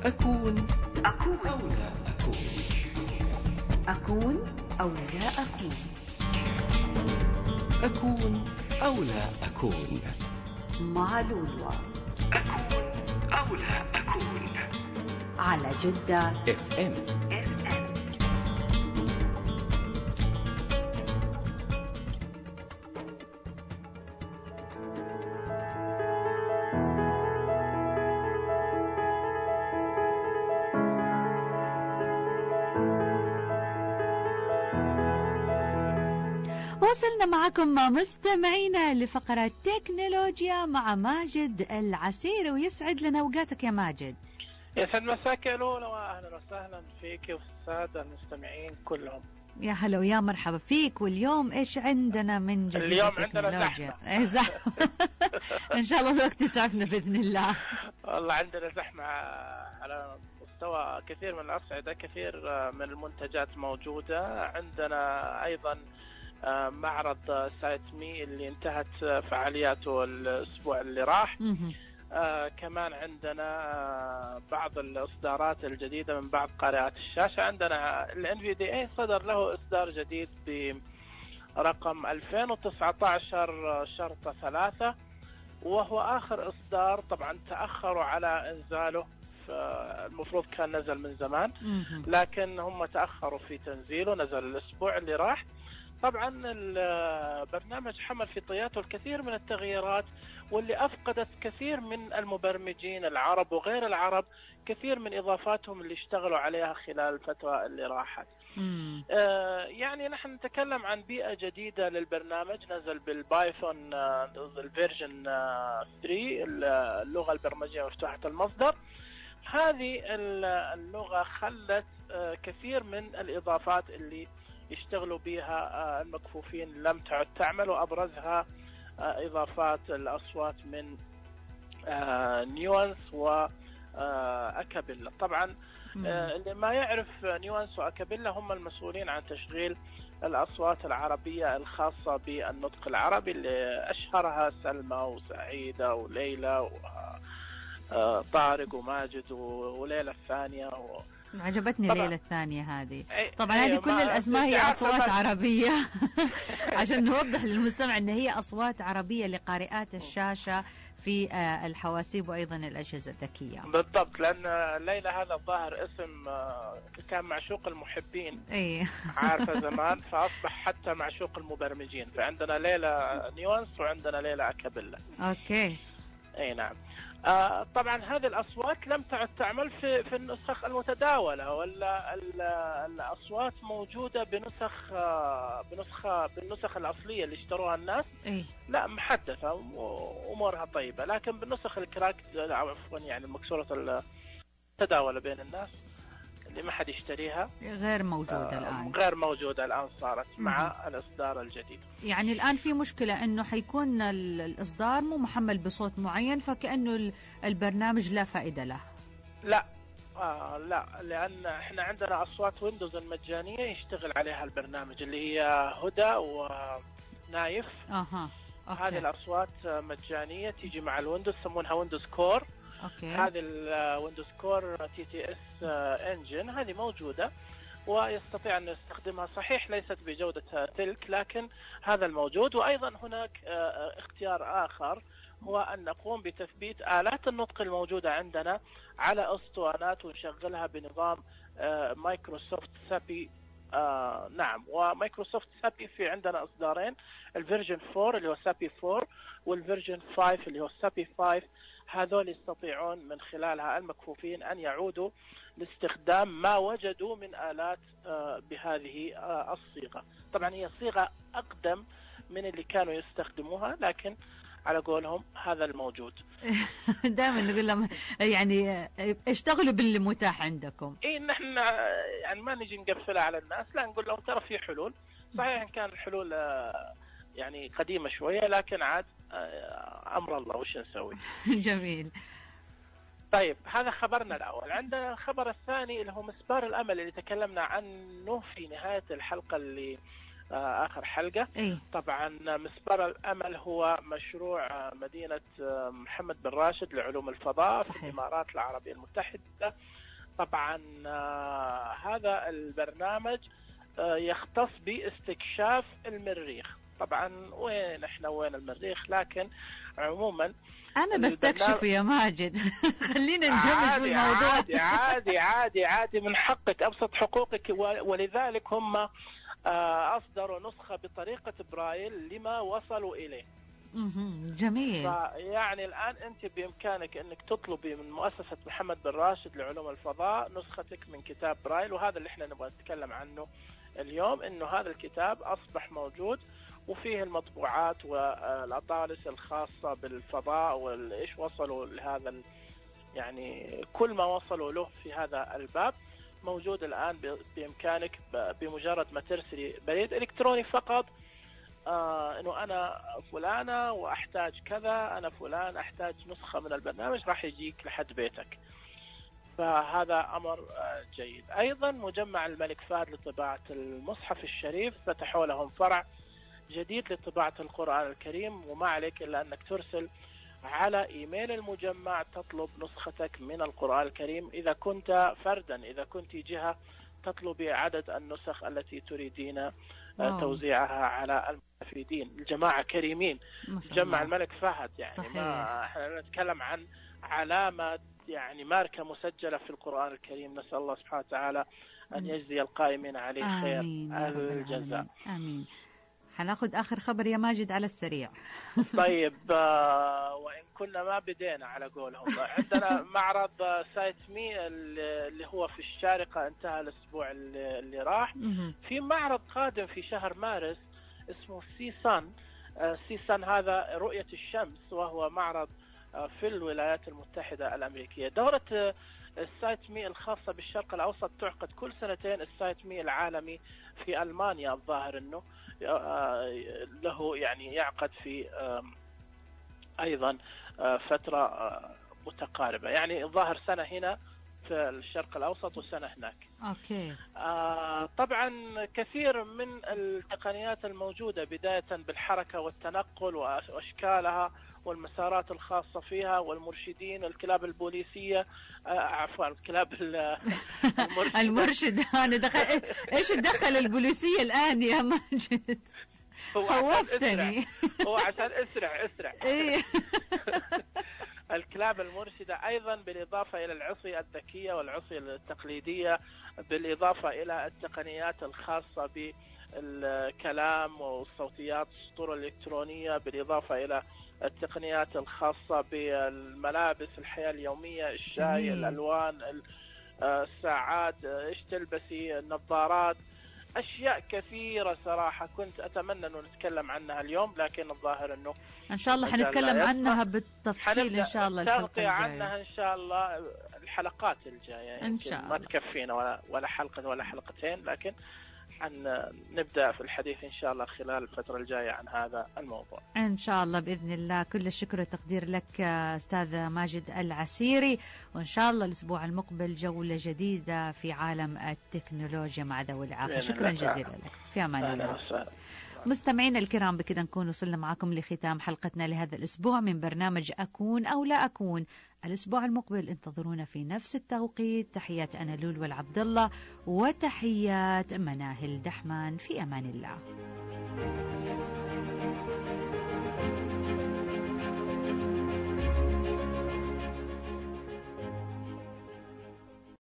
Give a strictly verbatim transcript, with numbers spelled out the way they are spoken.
أكون أكون أو لا أكون أكون أو لا أكون أكون أو لا أكون مع لولو. أكون أو لا أكون على جدة اف ام. وصلنا معكم مستمعينا لفقرة تكنولوجيا مع ماجد العسيري، ويسعد لنا اوقاتك يا ماجد. يسعد مساك يا لولا، واهلا وسهلا فيك وفي الساده المستمعين كلهم. يا هلا ويا مرحبا فيك. واليوم ايش عندنا من جديد؟ اليوم عندنا زحمة. ان شاء الله الوقت يسعفنا باذن الله. والله عندنا زحمه على مستوى كثير من الاصعده، كثير من المنتجات موجوده عندنا. ايضا معرض سايت مي اللي انتهت فعالياته الاسبوع اللي راح. آه كمان عندنا آه بعض الإصدارات الجديدة من بعض قارئات الشاشة. عندنا ال إن في دي إيه صدر له إصدار جديد برقم ألفين وتسعة عشر شرطة ثلاثة، وهو آخر إصدار. طبعا تأخروا على إنزاله، المفروض كان نزل من زمان لكن هم تأخروا في تنزيله، نزل الأسبوع اللي راح. طبعا البرنامج حمل في طياته الكثير من التغييرات، واللي أفقدت كثير من المبرمجين العرب وغير العرب كثير من إضافاتهم اللي اشتغلوا عليها خلال الفترة اللي راحت. آه يعني نحن نتكلم عن بيئة جديدة للبرنامج، نزل بالبايثون آه الفيرجن آه ثلاثة، اللغة البرمجية مفتوحة المصدر. هذه اللغة خلت آه كثير من الإضافات اللي يشتغلوا بها المكفوفين لم تعد تعمل، وأبرزها إضافات الأصوات من نيوانس وأكابيلا. طبعا اللي ما يعرف نيوانس وأكابيلا هم المسؤولين عن تشغيل الأصوات العربية الخاصة بالنطق العربي، اللي أشهرها سلمى وسعيدة وليلى وطارق وماجد وليلى الثانية و... عجبتني ليلة الثانية هذه. طبعا أيه هذه كل الأسماء هي أصوات عربية عشان نوضح للمستمع أن هي أصوات عربية لقارئات الشاشة في الحواسيب وأيضا الأجهزة الذكية. بالضبط، لأن ليلى هذا الظاهر اسم كان معشوق المحبين. أيه. عارفة زمان، فأصبح حتى معشوق المبرمجين. فعندنا ليلى نيوانس وعندنا ليلى أكابيلا. أوكي. أي نعم. آه طبعا هذه الأصوات لم تعد تعمل في في النسخ المتداولة، ولا الأصوات موجودة بنسخ آه بنسخة بالنسخ الأصلية اللي اشتروها الناس. إيه؟ لا، محدثة وأمورها طيبة، لكن بالنسخ الكراك عفوا يعني المكسورة المتداولة بين الناس اللي ما حد يشتريها غير موجودة آه الآن. غير موجودة الآن صارت مع م- الإصدار الجديد. يعني الآن في مشكلة إنه حيكون الإصدار مو محمل بصوت معين، فكأنه البرنامج لا فائدة له. لا آه لا، لأن احنا عندنا أصوات ويندوز المجانية يشتغل عليها البرنامج، اللي هي هدى ونايف. أها. أوكي. هذه الأصوات مجانية تيجي مع الويندوز، يسمونها ويندوز كور. أوكي. هذه الويندوز كور تي تي اس انجن هذه موجودة ويستطيع أن يستخدمها. صحيح ليست بجودة تلك، لكن هذا الموجود. وأيضا هناك اختيار آخر، هو أن نقوم بتثبيت آلات النطق الموجودة عندنا على أسطوانات ونشغلها بنظام مايكروسوفت سابي. آه نعم، ومايكروسوفت سابي في عندنا إصدارين، الفيرجن فور اللي هو سابي فور، والفيرجن فايف اللي هو سابي فايف. هذول يستطيعون من خلالها المكفوفين أن يعودوا لاستخدام ما وجدوا من آلات آه بهذه آه الصيغة. طبعا هي صيغة أقدم من اللي كانوا يستخدموها، لكن على قولهم هذا الموجود. دائما نقول لهم يعني اشتغلوا باللي متاح عندكم. اي نحن يعني ما نجي نقفلها على الناس، لا، نقول لهم ترى في حلول. صحيح ان كان الحلول يعني قديمة شوية، لكن عاد امر الله وش نسوي. جميل. طيب، هذا خبرنا الاول. عندنا الخبر الثاني اللي هو مسبار الامل اللي تكلمنا عنه في نهاية الحلقة اللي آخر حلقة. إيه؟ طبعا مسبار الأمل هو مشروع مدينة محمد بن راشد لعلوم الفضاء صحيح. في الإمارات العربية المتحدة. طبعا هذا البرنامج يختص باستكشاف المريخ. طبعا وين احنا وين المريخ، لكن عموما أنا بستكشف يا ماجد. خلينا ندمج في الموضوع. عادي عادي عادي عادي من حقك، أبسط حقوقك، ولذلك هم أصدروا نسخة بطريقة برايل لما وصلوا إليه. جميل. يعني الآن أنت بإمكانك أنك تطلبي من مؤسسة محمد بن راشد لعلوم الفضاء نسختك من كتاب برايل، وهذا اللي احنا نبغى نتكلم عنه اليوم، أنه هذا الكتاب أصبح موجود وفيه المطبوعات والأطالس الخاصة بالفضاء والإيش وصلوا لهذا، يعني كل ما وصلوا له في هذا الباب موجود الآن بإمكانك بمجرد ما ترسلي بريد إلكتروني فقط، آه إنه أنا فلانة وأحتاج كذا، أنا فلان أحتاج نسخة من البرنامج، راح يجيك لحد بيتك. فهذا أمر آه جيد. أيضا مجمع الملك فهد لطباعة المصحف الشريف فتحوا لهم فرع جديد لطباعة القرآن الكريم، وما عليك إلا أنك ترسل على إيميل المجمع تطلب نسختك من القرآن الكريم. إذا كنت فردا، إذا كنت جهة، تطلبي عدد النسخ التي تريدين أوه. توزيعها على المستفيدين. الجماعة كريمين. مجمع الملك فهد يعني صحيح. ما احنا نتكلم عن علامة، يعني ماركة مسجلة في القرآن الكريم. نسأل الله سبحانه وتعالى أن يجزي القائمين عليه خير الجزاء. آمين. حناخد آخر خبر يا ماجد على السريع. طيب آه وإن كنا ما بدينا على قولهم، عندنا معرض سايت مي اللي هو في الشارقة انتهى الأسبوع اللي, اللي راح. في معرض قادم في شهر مارس اسمه سيسان. آه سيسان هذا رؤية الشمس، وهو معرض آه في الولايات المتحدة الأمريكية. دورة السايت مي الخاصة بالشرق الأوسط تعقد كل سنتين. السايت مي العالمي في ألمانيا الظاهر أنه له يعني يعقد في أيضا فترة متقاربة، يعني الظاهر سنة هنا في الشرق الأوسط وسنة هناك. أوكي. طبعا كثير من التقنيات الموجودة بداية بالحركة والتنقل وأشكالها والمسارات الخاصة فيها والمرشدين، الكلاب البوليسية، عفوا الكلاب المرشدة. المرشد أنا دخل إيش دخل البوليسية الآن يا ماجد؟ خوفتني. هو عشان اسرع اسرع. إيه. الكلاب المرشدة أيضا بالإضافة إلى العصي الذكية والعصي التقليدية، بالإضافة إلى التقنيات الخاصة بالكلام والصوتيات، السطور الإلكترونية، بالإضافة إلى التقنيات الخاصة بالملابس، الحياة اليومية، الشاي، جميل. الألوان، الساعات، إيش تلبسي، النظارات، أشياء كثيرة صراحة كنت أتمنى أنه نتكلم عنها اليوم، لكن الظاهر أنه إن شاء الله حنتكلم عنها بالتفصيل إن شاء الله الحلقة الجاية. عنها إن شاء الله الحلقات الجاية إن شاء الله. ما تكفينا ولا ولا حلقة ولا حلقتين، لكن حن نبدأ في الحديث إن شاء الله خلال الفترة الجاية عن هذا الموضوع إن شاء الله بإذن الله. كل الشكر والتقدير لك أستاذ ماجد العسيري، وإن شاء الله الأسبوع المقبل جولة جديدة في عالم التكنولوجيا مع ذوي الإعاقة. شكرا جزيلا لك، في أمان الله. مستمعينا الكرام، بكذا نكون وصلنا معكم لختام حلقتنا لهذا الأسبوع من برنامج أكون أو لا أكون. الأسبوع المقبل انتظرونا في نفس التوقيت. تحيات أنا لول والعبد الله، وتحيات مناهل دحمان. في أمان الله.